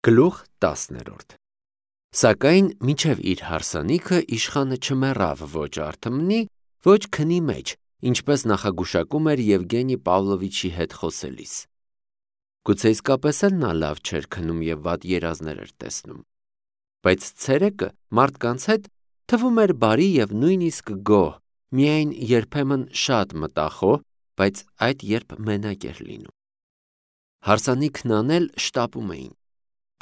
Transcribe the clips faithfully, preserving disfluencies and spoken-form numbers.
Գլուխ տասներորդ Սակայն մինչև իր հարսանիքը իշխանը չմեռավ ոչ արթմնի, ոչ քնի մեջ, ինչպես նախագուշակում էր Եվգենի Պավլովիչի հետ խոսելիս։ Գուցե իսկապես էլ նա լավ չէր քնում և վատ երազներ էր տեսնում։ Բայց ցերեկը մարդկանց հետ թվում էր բարի և նույնիսկ գոհ, միայն երբեմն շատ մտախոհ, բայց այդ երբ մենակ էր լինում։ Հարսանիքն անել շտապում էին։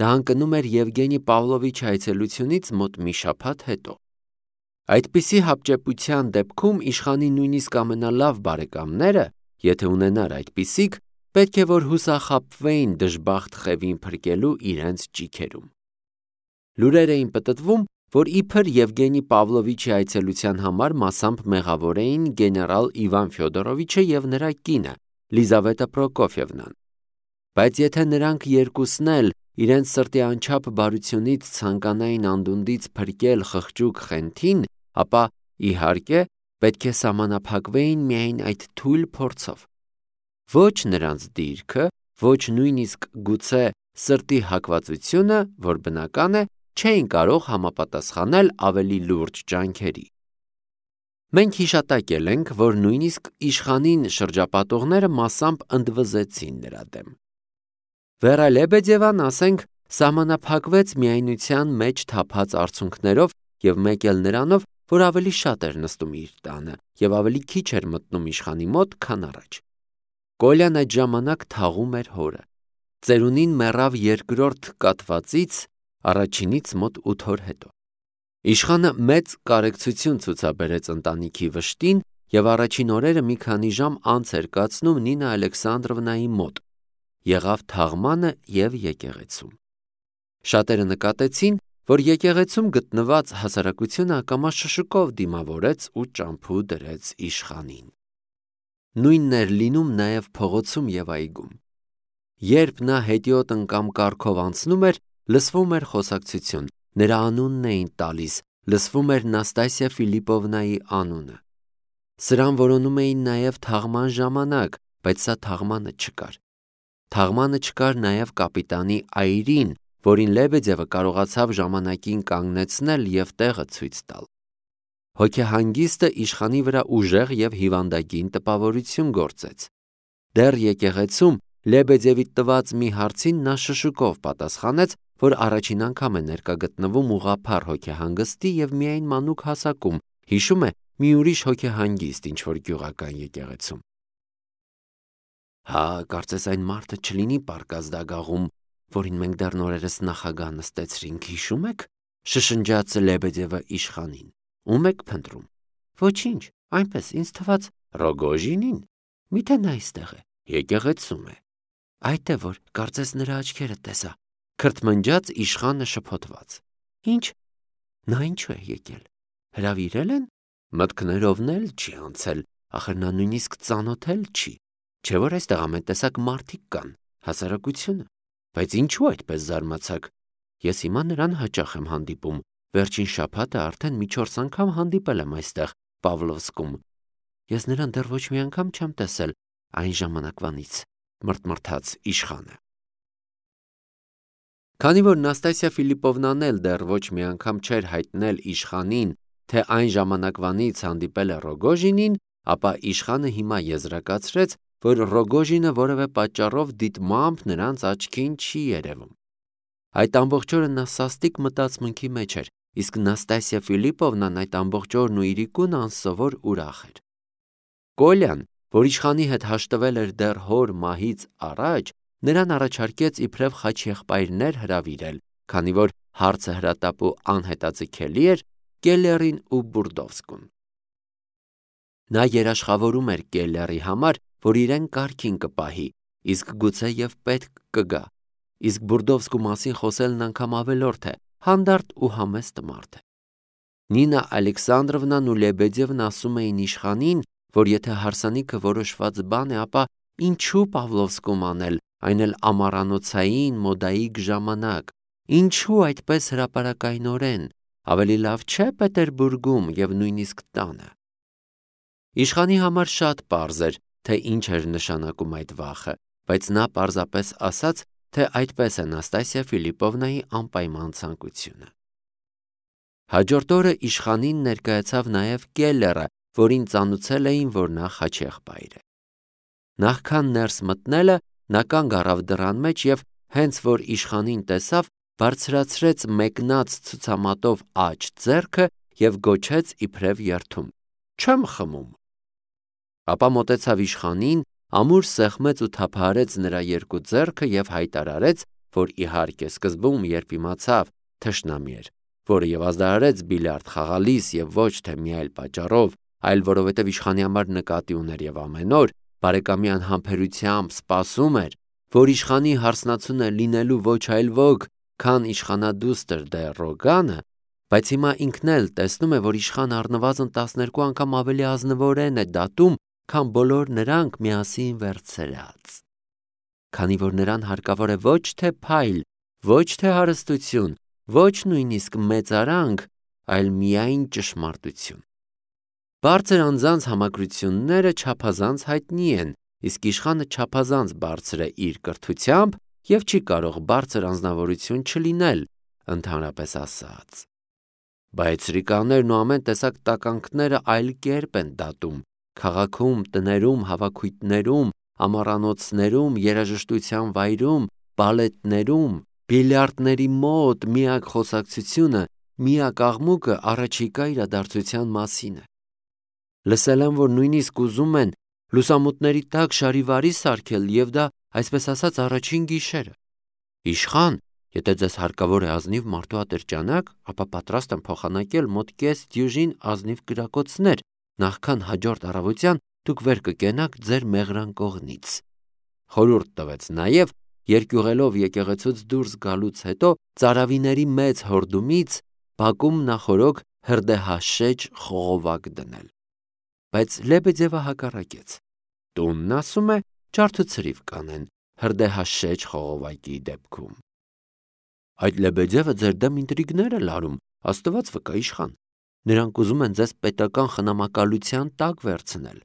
Դա ընկնում էր Եվգենի Պավլովիչի այցելությունից մոտ մի շաբաթ հետո։ Այդպիսի հապճեպության դեպքում իշխանի նույնիսկ ամենալավ բարեկամները, եթե ունենար այդպիսիք, պետք է որ հուսախաբվեին դժբախտ Խևին փրկելու իրենց ճիգերում։ Լուրեր էին պտտվում, որ իբր Եվգենի Պավլովիչի այցելության համար մասամբ մեղավոր էին գեներալ Իվան Ֆյոդորովիչը և նրա կինը Լիզավետա Պրոկոֆիևնան։ Բայց եթե նրանք երկուսն էլ իրենց սրտի անչափ բարությունից ցանկանային անդունդից փրկել խղճուկ Խենթին, ապա, իհարկե, պետք է սահմանափակվեին միայն այդ թույլ փորձով։ Ոչ նրանց դիրքը, ոչ նույնիսկ գուցե սրտի հակվածությունը, որ բնական է, չէին կարող համապատասխանել ավելի լուրջ ջանքերի։ Մենք հիշատակել ենք, որ նույնիսկ իշխանին շրջապատողները մասամբ ընդվզեցին նրա դեմ։ Վերա Լեբեդևան, ասենք, սահմանափակվեց միայնության մեջ թափած արցունքներով և մեկ էլ նրանով, որ ավելի շատ էր նստում իր տանը և ավելի քիչ էր մտնում իշխանի մոտ, քան առաջ։ Կոլյան այդ ժամանակ թաղում էր հորը։ Ծերունին մեռավ երկրորդ կաթվածից, առաջինից մոտ ութ օր հետո։ Իշխանը մեծ կարեկցություն ցուցաբերեց ընտանիքի վշտին և առաջին օրերը մի քանի ժամ անց էր կացնում Նինա Ալեքսանդրովնայի մոտ, եղավ թաղմանը և եկեղեցում։ Շատերը նկատեցին, որ եկեղեցում գտնված հասարակությունը ակամա շշուկով դիմավորեց ու ճամփու դրեց իշխանին։ Նույնն էր լինում նաև փողոցում և այգում։ Երբ նա հետիոտ անգամ կառքով անցնում էր, լսվում էր խոսակցություն, նրա անունն էին տալիս, լսվում էր Նաստասիա Ֆիլիպովնայի անունը։ Սրան որոնում էին նաև թաղման ժամանակ, բայց սա թաղմանը չկար։ Թաղմանը չկար նաև կապիտանի այրին, որին Լեբեդևը կարողացավ ժամանակին կանգնեցնել և տեղը ցույց տալ։ Հոգեհանգիստը իշխանի վրա ուժեղ և հիվանդագին տպավորություն գործեց։ Դեռ եկեղեցում Լեբեդևի տված մի հարցին նա շշուկով պատասխանեց, որ առաջին անգամ է ներկա գտնվում ուղղափառ հոգեհանգստի և միայն մանուկ հասակում, հիշում է մի ուրիշ հոգեհանգիստ ինչ-որ գյուղական եկեղեցում։ Հա, կարծես այն մարդը չլինի պարկած դագաղում, որին մենք դեռ նորերս նախագահ նստեցրինք, հիշում եք, շշնջաց Լեբեդևը իշխանին։ Ո՞ւմ եք փնտրում։ Ոչինչ, այնպես ինձ թվաց Ռոգոժինին։ Միթե նա այստեղ է, եկեղեցում է։ Այդ է որ, կարծես նրա աչքերը տեսա, քրթմնջաց իշխանը շփոթված։ Ինչ։ Նա ինչու է եկել։ Հրավիրել են։ Մտքներովն էլ չի անցել, ախր նա նույնիսկ ծանոթել չի։ Չէ որ այստեղ ամեն տեսակ մարդիկ կան, հասարակությունը։ Բայց ինչու այդպես զարմացաք։ Ես հիմա նրան հաճախ եմ հանդիպում, վերջին շաբաթը արդեն մի չորս անգամ հանդիպել եմ այստեղ, Պավլովսկում։ Ես նրան դեռ ոչ մի անգամ չեմ տեսել այն ժամանակվանից, մրթմրթաց իշխանը։ Քանի որ Նաստասիա Ֆիլիպովնան էլ դեռ ոչ մի անգամ չէր հայտնել իշխանին, թե այն ժամանակվանից հանդիպել է Ռոգոժինին, ապա իշխանը հիմա եզրակացրեց, որ Ռոգոժինը որևէ պատճառով դիտմամբ նրանց աչքին չի երևում։ Այդ ամբողջ օրը նա սաստիկ մտածմունքի մեջ էր, իսկ Նաստասիա Ֆիլիպովնան այդ ամբողջ օրն ու իրիկուն անսովոր ուրախ էր։ Կոլյան, որ իշխանի հետ հաշտվել էր դեռ հոր մահից առաջ, նրան առաջարկեց իբրև խաչեղբայրներ հրավիրել, քանի որ հարցը հրատապ ու անհետաձգելի էր Կելլերին ու Բուրդովսկուն։ Նա երաշխավորում էր Կելլերի համար, որ իրեն կարգին կպահի, իսկ գուցե և պետք կգա, իսկ Բուրդովսկու մասին խոսելն անգամ ավելորդ է, հանդարտ ու համեստ մարդ է։ Նինա Ալեքսանդրովնան ու Լեբեդևն ասում էին իշխանին, որ եթե հարսանիքը որոշված բան է, ապա ինչու Պավլովսկում անել, այն էլ ամառանոցային մոդայիկ ժամանակ, ինչու այդպես հրապարակայնորեն, ավելի լավ չէ Պետերբուրգում և նույնիսկ տանը։ Իշխանի համար շատ պարզ էր, թե ինչ էր նշանակում այդ վախը, բայց նա պարզապես ասաց, թե այդպես է Նաստասիա Ֆիլիպովնայի անպայման ցանկությունը։ Հաջորդ օրը իշխանին ներկայացավ նաև Կելլերը, որին ծանուցել էին, որ նա խաչեղբայր է։ Նախքան ներս մտնելը նա կանգ առավ դռան մեջ և հենց որ իշխանին տեսավ, բարձրացրեց մեկնած ցուցամատով աջ ձեռքը և գոչեց իբրև երդում. «Չեմ խմում»։ Ապա մոտեցավ իշխանին, ամուր սեղմեց ու թափահարեց նրա երկու ձեռքը և հայտարարեց, որ իհարկե սկզբում, երբ իմացավ թշնամի էր, որը և ազդարարեց բիլիարդ խաղալիս և ոչ թե մի այլ պատճառով, այլ որովհետև իշխանի համար նկատի ուներ և ամեն օր բարեկամի անհամբերությամբ սպասում էր, որ իշխանի հարսնացունը լինելու ոչ այլ ոք, քան իշխանադուստր դե Ռոգանը, բայց հիմա ինքն էլ տեսնում է, որ իշխանը առնվազն տասներկու անգամ ավելի ազնվորեն է դատում, քան բոլոր նրանք միասին վերցրած։ Քանի որ նրան հարկավոր է ոչ թե փայլ, ոչ թե հարստություն, ոչ նույնիսկ մեծարանք, այլ միայն ճշմարտություն։ Բարձր անձանց համակրությունները չափազանց հայտնի են, իսկ իշխանը չափազանց բարձր է իր կրթությամբ և չի կարող բարձր անձնավորություն չլինել, ընդհանրապես ասած։ Բայց սրիկաներն ու ամեն տեսակ տականքները այլ կերպ են դատում, քաղաքում, տներում, հավաքույթներում, ամառանոցներում, երաժշտության վայրում, բալետներում, բիլիարդների մոտ միակ խոսակցությունը, միակ աղմուկը առաջիկա իրադարձության մասին է։ Լսել եմ, որ նույնիսկ ուզում են լուսամուտների տակ շարիվարի սարքել և դա, այսպես ասած, առաջին գիշերը։ Իշխան, եթե ձեզ հարկավոր է ազնիվ մարդու ատրճանակ, ապա պատրաստ եմ փոխանակել մոտ կես դյուժին ազնիվ կրակոցներ, նախքան հաջորդ առավոտյան դուք վեր կկենաք ձեր մեղրան կողնից։ Խորհուրդ տվեց նաև երկյուղելով եկեղեցուց դուրս գալուց հետո ծարավիների մեծ հորդումից բակում նախօրոք հրդեհաշեջ խողովակ դնել։ Բայց Լեբեդևը հակառակեց։ Տունն ասում է ջարդ ու ցրիվ կանեն հրդեհաշեջ խողովակի դեպքում։ Այդ Լեբեդևը ձեր դեմ ինտրիգներ է լարում, Աստված վկա իշխան։ Նրանք ուզում են ձեզ պետական խնամակալության տակ վերցնել։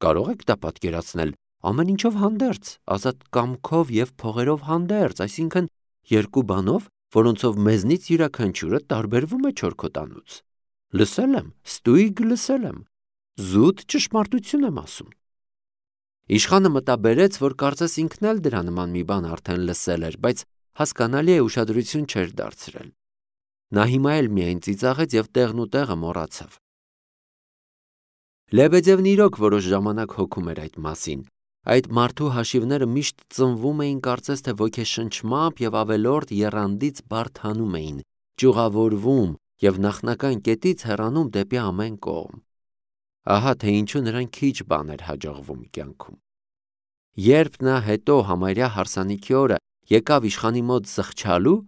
Կարող եք դա պատկերացնել ամեն ինչով հանդերձ, ազատ կամքով և փողերով հանդերձ, այսինքն երկու բանով, որոնցով մեզնից յուրաքանչյուրը տարբերվում է չորքոտանուց։ Լսել եմ, ստույգ լսել եմ, զուտ ճշմարտություն եմ ասում։ Իշխանը մտաբերեց, որ կարծես ինքն էլ դրա նման մի բան արդեն լսել էր, բայց հասկանալի է ուշադրություն չէր դարձրել։ Նա հիմա էլ միայն ծիծաղեց և տեղն ու տեղը մոռացավ։ Լեբեդևն իրոք որոշ ժամանակ հոգում էր այդ մասին։ Այդ մարդու հաշիվները միշտ ծնվում էին կարծես թե ոգեշնչմամբ և ավելորդ եռանդից բարդանում էին, ճյուղավորվում և նախնական կետից հեռանում դեպի ամեն կողմ։ Ահա թե ինչու նրան քիչ բան էր հաջողվում կյանքում։ Երբ նա հետո համարյա հարսանիքի օրը եկավ իշխանի մոտ զղջալու,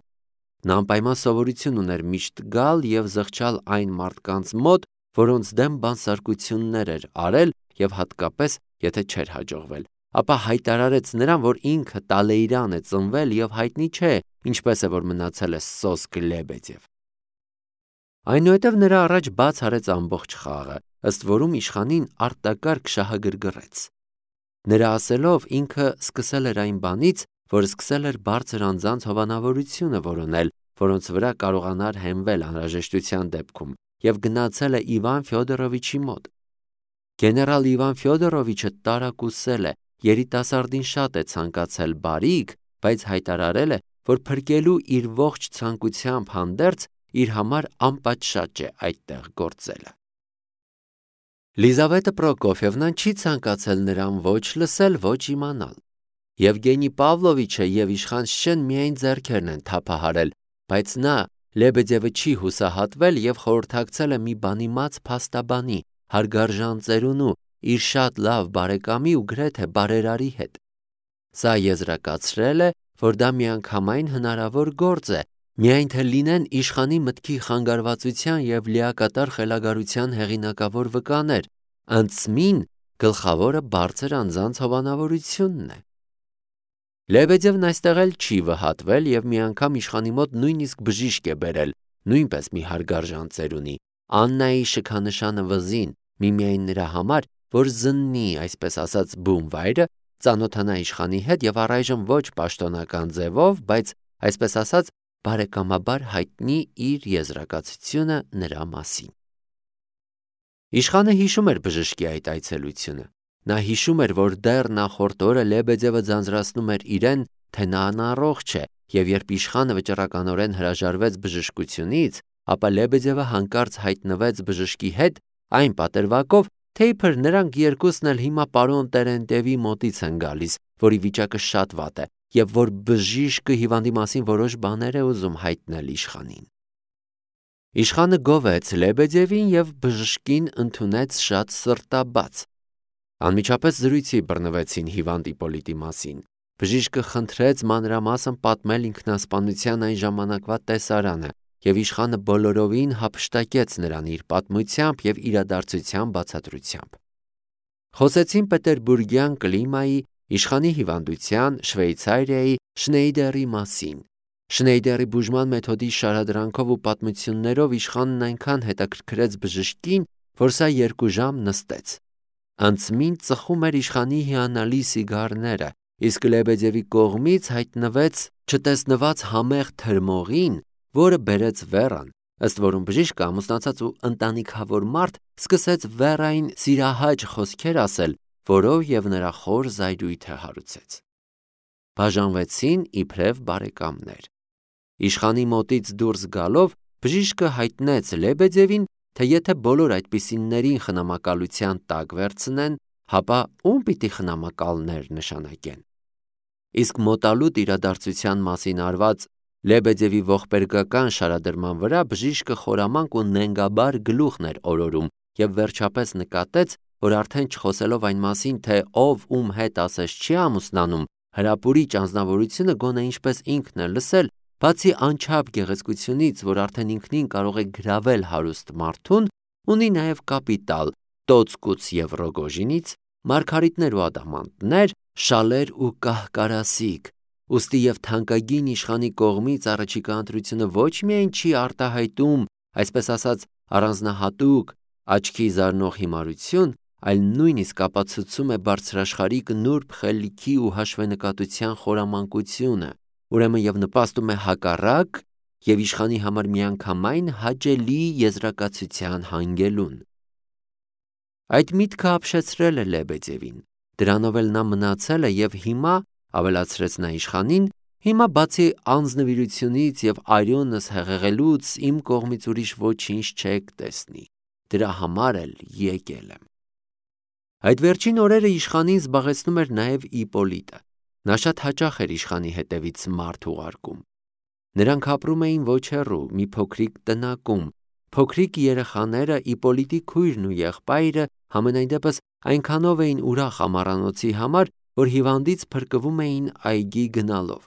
նա անպայման սովորություն ուներ միշտ գալ և զղջալ այն մարդկանց մոտ, որոնց դեմ բանսարկություններ էր արել և հատկապես, եթե չէր հաջողվել, ապա հայտարարեց նրան, որ ինքը Տալեյրան է ծնվել և հայտնի չէ, ինչպես է, որ մնացել է սոսկ Լեբեդև։ Այնուհետև նրա առաջ բաց արեց ամբողջ խաղը, ըստ որում իշխանին արտակարգ շահագրգռեց։ Նրա ասելով ինքը սկսել էր այն բանից, որ սկսել էր բարձր անձանց հովանավորությունը որոնել, որոնց վրա կարողանար հենվել անհրաժեշտության դեպքում, և գնացել է Իվան Ֆյոդորովիչի մոտ։ Գեներալ Իվան Ֆյոդորովիչը տարակուսել է, երիտասարդին շատ է ցանկացել բարիք, բայց հայտարարել է, որ փրկելու իր ողջ ցանկությամբ հանդերձ իր համար անպատշաճ է այդտեղ գործելը։ Լիզավետը Պրոկոֆիևնան չի ցանկացել նրան ոչ լսել, ոչ իմանալ։ Եվգենի Պավլովիչը և իշխան Շեն միայն ձեռքերն են թափահարել, բայց նա Լեբեդևը չի հուսահատվել և խորհրդակցել է մի բանիմաց փաստաբանի, հարգարժան ծերունու, իր շատ լավ բարեկամի ու գրեթե բարերարի հետ։ Սա եզրակացրել է, որ դա միանգամայն հնարավոր գործ է, միայն թե լինեն իշխանի մտքի խանգարվածության և լիակատար խելագարության հեղինակավոր վկաներ, ընդսմին գլխավորը բարձր անձանց հովանավորությունն է։ Լեբեդևն այստեղ էլ չի վհատվել և մի անգամ իշխանի մոտ նույնիսկ բժիշկ է բերել, նույնպես մի հարգարժան ծերունի, Աննայի շքանշանը վզին, միմիայն նրա համար, որ զննի, այսպես ասած, բուն վայրը ծանոթանա իշխանի հետ եւ առայժմ ոչ պաշտոնական ձևով, բայց այսպես ասած բարեկամաբար հայտնի իր եզրակացությունը նրա մասին։ Իշխանը հիշում էր բժշկի այդ այցելությունը։ Նա հիշում էր, որ դեռ նախորդ օրը Լեբեդևը ձանձրացնում էր իրեն, թե նա անառողջ է, եւ երբ իշխանը վճռականորեն հրաժարվեց բժշկությունից, ապա Լեբեդևը հանկարծ հայտնվեց բժշկի հետ այն պատրվակով, թե իբր նրանք երկուսն էլ հիմա պարոն Տերենտևի մոտից են գալիս, որի վիճակը շատ վատ է, եւ որ բժիշկը հիվանդի մասին որոշ բաներ է ուզում հայտնել իշխանին։ Իշխանը գովեց Լեբեդևին եւ բժշկին ընդունեց շատ սրտաբաց։ Անմիջապես զրույցի բռնվեցին հիվանդ Իպոլիտի մասին։ Բժիշկը խնդրեց մանրամասն պատմել ինքնասպանության այն ժամանակվա տեսարանը, եւ իշխանը բոլորովին հափշտակեց նրան իր պատմությամբ եւ իրադարձության բացատրությամբ։ Խոսեցին պետերբուրգյան կլիմայի, իշխանի հիվանդության, Շվեյցարիայի, Շնեյդերի մասին։ Շնեյդերի բուժման մեթոդի շարադրանքով ու պատմություններով իշխանն այնքան հետաքրքրեց բժշկին, որ սա երկու ժամ նստեց։ Անցմին ծխում էր իշխանի հիանալի սիգարները, իսկ Լեբեդևի կողմից հայտնվեց չտեսնված համեղ թրմողին, որը բերեց Վերան, ըստ որում բժիշկը ամուսնացած ու ընտանիքավոր մարդ սկսեց Վերային սիրահաճ խոսքեր ասել, որով եւ նրա խոր զայրույթը հարուցեց։ Բաժանվեցին իբրև բարեկամներ։ Իշխանի մոտից դուրս գալով բժիշկը հայտնեց Լեբեդևին, թե եթե բոլոր այդպիսիններին խնամակալության տակ վերցնեն, հապա ում պիտի խնամակալներ նշանակեն։ Իսկ մոտալուտ իրադարձության մասին արված Լեբեդևի ողբերգական շարադրման վրա բժիշկը խորամանկ ու նենգաբար գլուխն էր օրորում եւ վերջապես նկատեց, որ արդեն չխոսելով այն մասին, թե ով ում հետ ասես չի ամուսնանում, հրապուրիչ անձնավորությունը գոնե ինչպես ինքն է լսել, բացի անչափ գեղեցկությունից, որ արդեն ինքնին կարող է գրավել հարուստ մարդուն, ունի նաև կապիտալ, տոցկուց եւ Ռոգոժինից, մարգարիտներ ու ադամանդներ, շալեր ու կահկարասիկ, ուստի եւ թանկագին իշխանի կողմից առաջիկա ընտրությունը ոչ միայն չի արտահայտում, այսպես ասած, առանձնահատուկ աչքի զարնող հիմարություն, այլ նույնիսկ ապացուցում է բարձրաշխարհիկ նուրբ խելքի ու հաշվենկատության խորամանկությունը, ուրեմն եւ նպաստում է հակառակ եւ իշխանի համար միանգամայն հաճելի եզրակացության հանգելուն։ Այդ միտքը ապշեցրել է Լեբեդևին, դրանով էլ նա մնացել է եւ հիմա, ավելացրեց նա իշխանին, հիմա բացի անձնվիրությունից եւ արյունս հեղեղելուց իմ կողմից ուրիշ ոչինչ չեք տեսնի, դրա համար էլ եկել եմ։ Այդ վերջին օրերը իշխանին զբաղեցնում էր նաև Իպոլիտը։ Նա շատ հաճախ էր իշխանի հետևից մարդ ուղարկում։ Նրանք ապրում էին ոչ հեռու, մի փոքրիկ տնակում։ Փոքրիկ երեխաները, Իպոլիտի քույրն ու եղբայրը համենայն դեպս այնքանով էին ուրախ ամառանոցի համար, որ հիվանդից փրկվում էին այգի գնալով։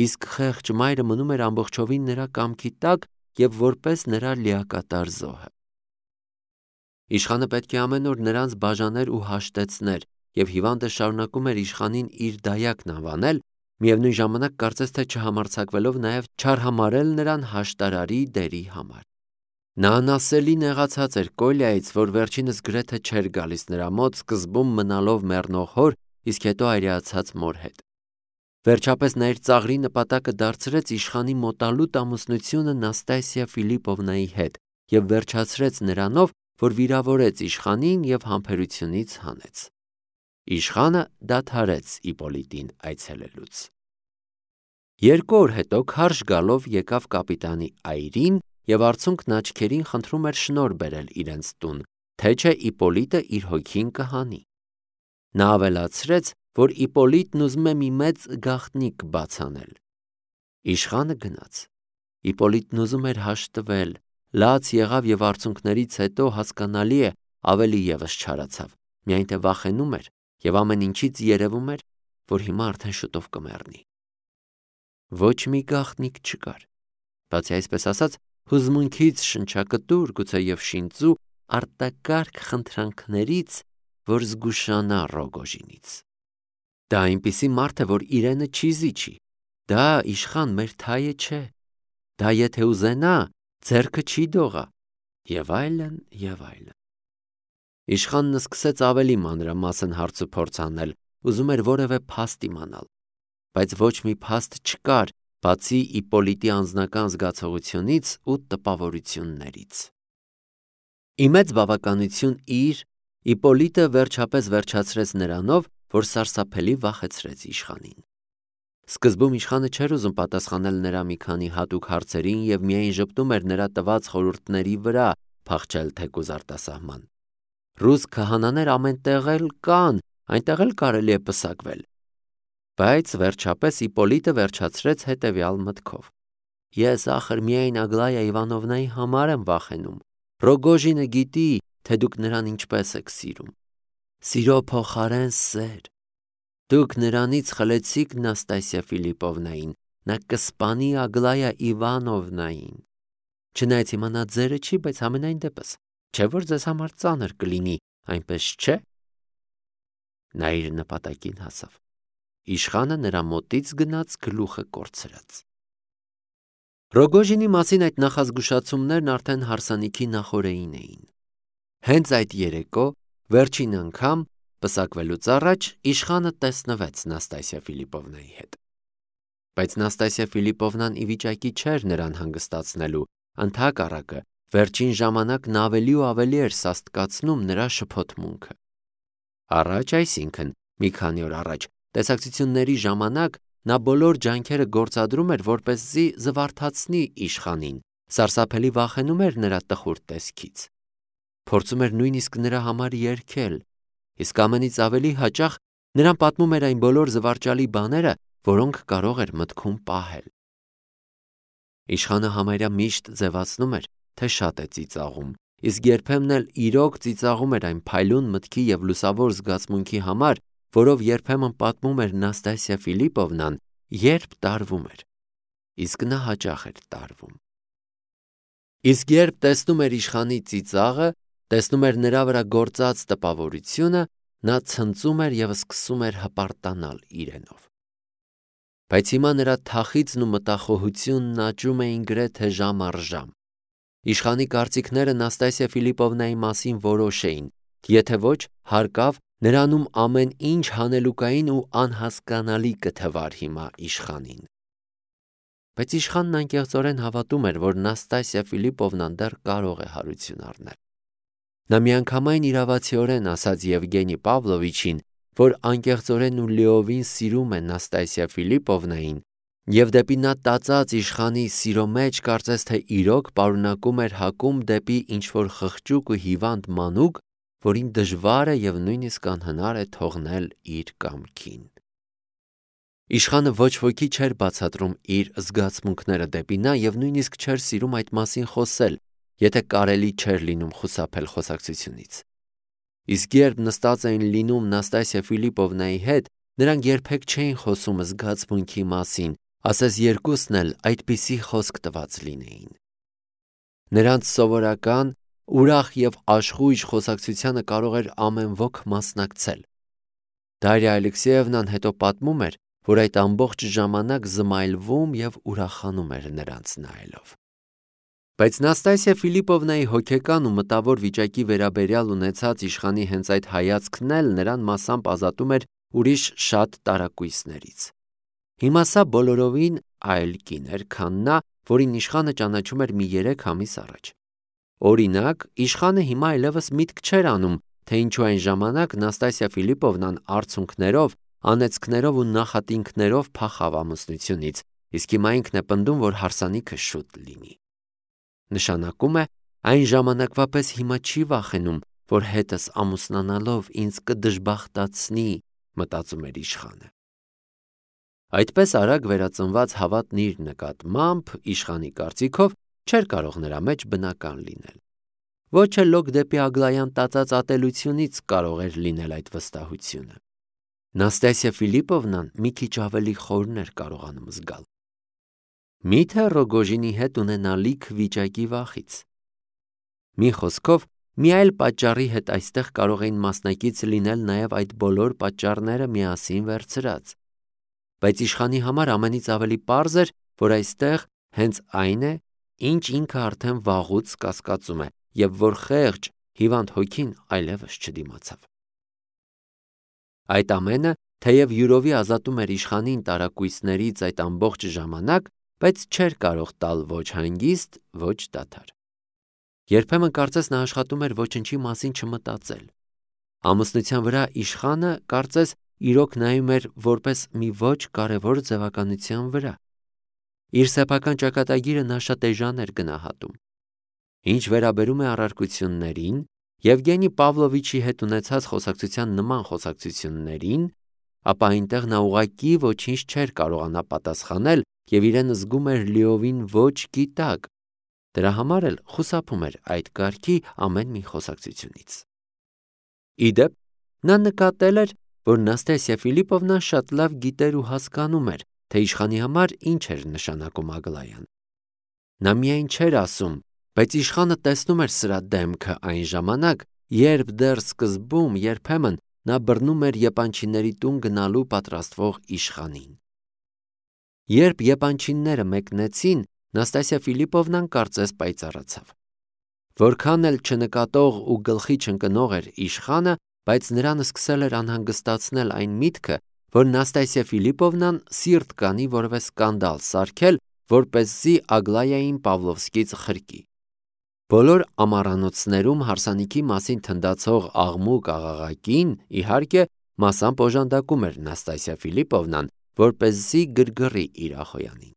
Իսկ խեղճ մայրը մնում էր ամբողջովին նրա կամքի տակ եւ որպես նրա լիակատար զոհը։ Իշխանը պետք է ամեն օր նրանց բաժաներ ու հաշտեցներ, եւ հիվանդը շարունակում էր իշխանին իր դայակն անվանել, միևնույն ժամանակ կարծես թե չհամարձակվելով նաեւ չարհամարել նրան հաշտարարի դերի համար։ Նա անասելի նեղացած էր Կոլյայից, որ վերջինս գրեթե չէր գալիս նրա մոտ, սկզբում մնալով մեռնող հոր, իսկ հետո այրացած մոր հետ։ Վերջապես նա իր ծաղրի նպատակը դարձրեց իշխանի մոտալուտ ամուսնությունը Նաստասիա Ֆիլիպովնայի հետ եւ վերջացրեց նրանով, որ վիրավորեց իշխանին եւ համբերությունից հանեց։ Իշխանը դադարեց Իպոլիտին այցելելուց։ Երկու օր հետո քարշ գալով եկավ կապիտանի այրին եւ արցունքն աչքերին խնդրում էր շնոր բերել իրենց տուն, թե չէ Իպոլիտը իր հոգին կհանի։ Նա ավելացրեց, որ Իպոլիտն ուզում է մի մեծ գաղտնիք բաց անել։ Իշխանը գնաց։ Իպոլիտն ուզում էր հաշտվել, լաց եղավ եւ արցունքներից հետո հասկանալի է ավելի եւս չարացավ, միայն թե վախենում էր եւ ամեն ինչից երևում էր, որ հիմա արդեն շուտով կմեռնի։ Ոչ մի գաղտնիք չկար, բացի այսպես ասած հուզմունքից շնչակտուր, գուցե եւ շինծու արտակարգ խնդրանքներից, որ զգուշանա Ռոգոժինից։ Դա այնպիսի մարդ է, որ իրենը չի զիջի։ Դա իշխան մեր թայը չէ։ Դա եթե ուզենա, ձեռքը չի դողա, եւ այլն, եւ այլն։ Իշխանն սկսեց ավելի մանրամասն հարցուփորձ անել, ուզում էր որևէ փաստ իմանալ, բայց ոչ մի փաստ չկար, բացի Իպպոլիտի անձնական զգացողությունից ու տպավորություններից։ Ի մեծ բավականություն իր, Իպպոլիտը վերջապես վերջացրեց նրանով, որ սարսափելի վախեցրեց իշխանին։ Սկզբում իշխանը չէր ուզում պատասխանել նրա մի քանի հատուկ հարցերին և միայն ժպտում էր նրա տված խորհուրդների վրա, փախչել թեկուզ արտասահման։ Ռուս քահանաներ ամեն տեղ էլ կան, այնտեղ էլ կարելի է պսակվել։ Բայց վերջապես Իպպոլիտը վերջացրեց հետևյալ մտքով. Ես ախր միայն Ագլայա Իվանովնայի համար եմ վախենում։ Ռոգոժինը գիտի, թե դուք նրան ինչպես եք սիրում։ Սիրո փոխարեն սեր։ Դուք նրանից խլեցիք Նաստասիա Ֆիլիպովնային, նա կսպանի Ագլայա Իվանովնային։ Չնայած հիմա նա ձերը չի, բայց ամենայն դեպս, չէ՞ որ ձեզ համար ծանր կլինի, այնպես չէ՞։ Նա իր նպատակին հասավ։ Իշխանը նրա մոտից գնաց գլուխը կորցրած։ Ռոգոժինի մասին այդ նախազգուշացումներն արդեն հարսանիքի նախօրեին էին։ Հենց այդ երեկո, վերջին անգամ, պսակվելուց առաջ, իշխանը տեսնվեց Նաստասիա Ֆիլիպովնայի հետ։ Բայց Նաստասիա Ֆիլիպովնան ի վիճակի չէր նրան հանգստացնելու, ընդհակառակը, վերջին ժամանակն ավելի ու ավելի էր սաստկացնում նրա շփոթմունքը։ Առաջ, այսինքն, մի քանի օր առաջ, տեսակցությունների ժամանակ նա բոլոր ջանքերը գործադրում էր, որպեսզի զվարթացնի իշխանին, սարսափելի վախենում էր նրա տխուր տեսքից։ Փորձում էր նույնիսկ նրա համար երգել, իսկ ամենից ավելի հաճախ նրան պատմում էր այն բոլոր զվարճալի բաները, որոնք կարող էր մտքում պահել։ Իշխանը համարյա միշտ ձևացնում էր, թե շատ է ծիծաղում, իսկ երբեմն էլ իրոք ծիծաղում էր այն փայլուն մտքի և լուսավոր զգացմունքի համար, որով երբեմն պատմում էր Նաստասիա Ֆիլիպովնան, երբ տարվում էր, իսկ նա հաճախ էր տարվում։ Իսկ երբ տեսնում էր իշխանի ծիծաղը, տեսնում էր նրա վրա գործած տպավորությունը, նա ցնծում էր և սկսում էր հպարտանալ իրենով։ Բայց հիմա նրա թախիծն ու մտախոհությունն աճում էին գրեթե ժամ առ ժամ։ Իշխանի կարծիքները Նաստասիա Ֆիլիպովնայի մասին որոշ էին, եթե ոչ, հարկավ, նրանում ամեն ինչ հանելուկային ու անհասկանալի կթվար հիմա իշխանին։ Բայց իշխանն անկեղծորեն հավատում էր, որ Նաստասիա Ֆիլիպովնան դեռ կարող է հարություն առնել։ Նա միանգամայն իրավացիորեն ասաց Եվգենի Պավլովիչին, որ անկեղծորեն ու լիովին սիրում է Նաստասիա Ֆիլիպովնային, և դեպի նա տածած իշխանի սիրո մեջ կարծես թե իրոք պարունակում էր հակում դեպի ինչ-որ խղճուկ ու հիվանդ մանուկ, որին դժվար է և նույնիսկ անհնար է թողնել իր կամքին։ Իշխանը ոչ ոքի չէր բացատրում իր զգացմունքները դեպի նա և նույնիսկ չէր սիրում այդ մասին խոսել, եթե կարելի չէր լինում խուսափել խոսակցությունից։ Իսկ երբ նստած էին լինում Նաստասիա Ֆիլիպովնայի հետ, նրանք երբեք չէին խոսում զգացմունքի մասին, ասես երկուսն էլ այդպիսի խոսք տված լինեին։ Նրանց սովորական, ուրախ և աշխույժ խոսակցությանը կարող էր ամեն ոք մասնակցել։ Դարիա Ալեքսեևնան հետո պատմում էր, որ այդ ամբողջ ժամանակ զմայլվում և ուրախանում էր նրանց նայելով։ Բայց Նաստասիա Ֆիլիպովնայի հոգեկան ու մտավոր վիճակի վերաբերյալ ունեցած իշխանի հենց այդ հայացքն էլ նրան մասամբ ազատում էր ուրիշ շատ տարակույսներից։ Հիմա սա բոլորովին այլ կին էր, քան նա, որին իշխանը ճանաչում էր մի երեք ամիս առաջ։ Օրինակ, իշխանը հիմա այլևս միտք չէր անում, թե ինչու այն ժամանակ Նաստասիա Ֆիլիպովնան արցունքներով, անեծքներով ու նախատինքներով փախավ ամուսնությունից, իսկ հիմա ինքն է պնդում, որ հարսանիքը շուտ լինի։ Նշանակում է, այն ժամանակվա պես հիմա չի վախենում, որ հետս ամուսնանալով ինձ կդժբախտացնի, մտածում էր իշխանը։ Այդպես արագ վերածնված հավատն իր նկատմամբ, իշխանի կարծիքով, չէր կարող նրա մեջ բնական լինել։ Ոչ էլ լոկ դեպի Ագլայան տածած ատելությունից կարող էր լինել այդ վստահությունը։ Նաստասիա Ֆիլիպովնան մի քիչ ավելի խորն էր կարողանում զգալ։ Միթե Ռոգոժինի հետ ունենալիք վիճակի վախից։ Մի խոսքով, մի այլ պատճառի հետ այստեղ կարող էին մասնակից լինել նաև այդ բոլոր պատճառները միասին վերցրած։ Բայց իշխանի համար ամենից ավելի պարզ էր, որ այստեղ հենց այն է, ինչ ինքը արդեն վաղուց կասկածում է, և որ խեղճ, հիվանդ հոգին այլևս չդիմացավ։ Այդ ամենը թեև յուրովի ազատում էր իշխանին տարակույսներից այդ ամբողջ ժամանակ, բայց չէր կարող տալ ոչ հանգիստ, ոչ դադար։ Երբեմն կարծես նա աշխատում էր ոչնչի մասին չմտածել։ Ամուսնության վրա իշխանը կարծես իրոք նայում էր որպես մի ոչ կարևոր ձևականության վրա։ Իր սեփական ճակատագիրը նա շատ էժան էր գնահատում։ Ինչ վերաբերում է առարկություններին, Եվգենի Պավլովիչի հետ ունեցած խոսակցության նման խոսակցություններին, ապա այնտեղ նա ուղղակի ոչինչ չէր կարողանա պատասխանել և իրեն զգում էր լիովին ոչ գիտակ, դրա համար էլ խուսափում էր այդ կարգի ամեն մի խոսակցությունից։ Ի դեպ, նա նկատել էր, որ Նաստասիա Ֆիլիպովնան շատ լավ գիտեր ու հասկանում էր, թե իշխանի համար ինչ էր նշանակում Ագլայան։ Նա միայն չէր ասում, բայց իշխանը տեսնում էր սրա դեմքը այն ժամանակ, երբ դեռ սկզբում երբեմն նա բռնում էր եպանչիների տուն գնալու պատրաստվող իշխանին։ Երբ եպանչիները մեկնեցին, Նաստասիա Ֆիլիպովնան կարծես պայծառացավ։ Որքան էլ չնկատող ու գլխի չընկնող էր իշխանը, բայց նրան սկսել էր անհանգստացնել այն միտքը, որ Նաստասիա Ֆիլիպովնան սիրտ կանի որևէ սկանդալ սարքել, որպեսզի Ագլայային Պավլովսկից խրկի։ Բոլոր ամառանոցներում հարսանիքի մասին թնդացող աղմուկ աղաղակին, իհարկե, մասամբ օժանդակում էր Նաստասիա Ֆիլիպովնան, որպեսզի գրգռի իր ախոյանին։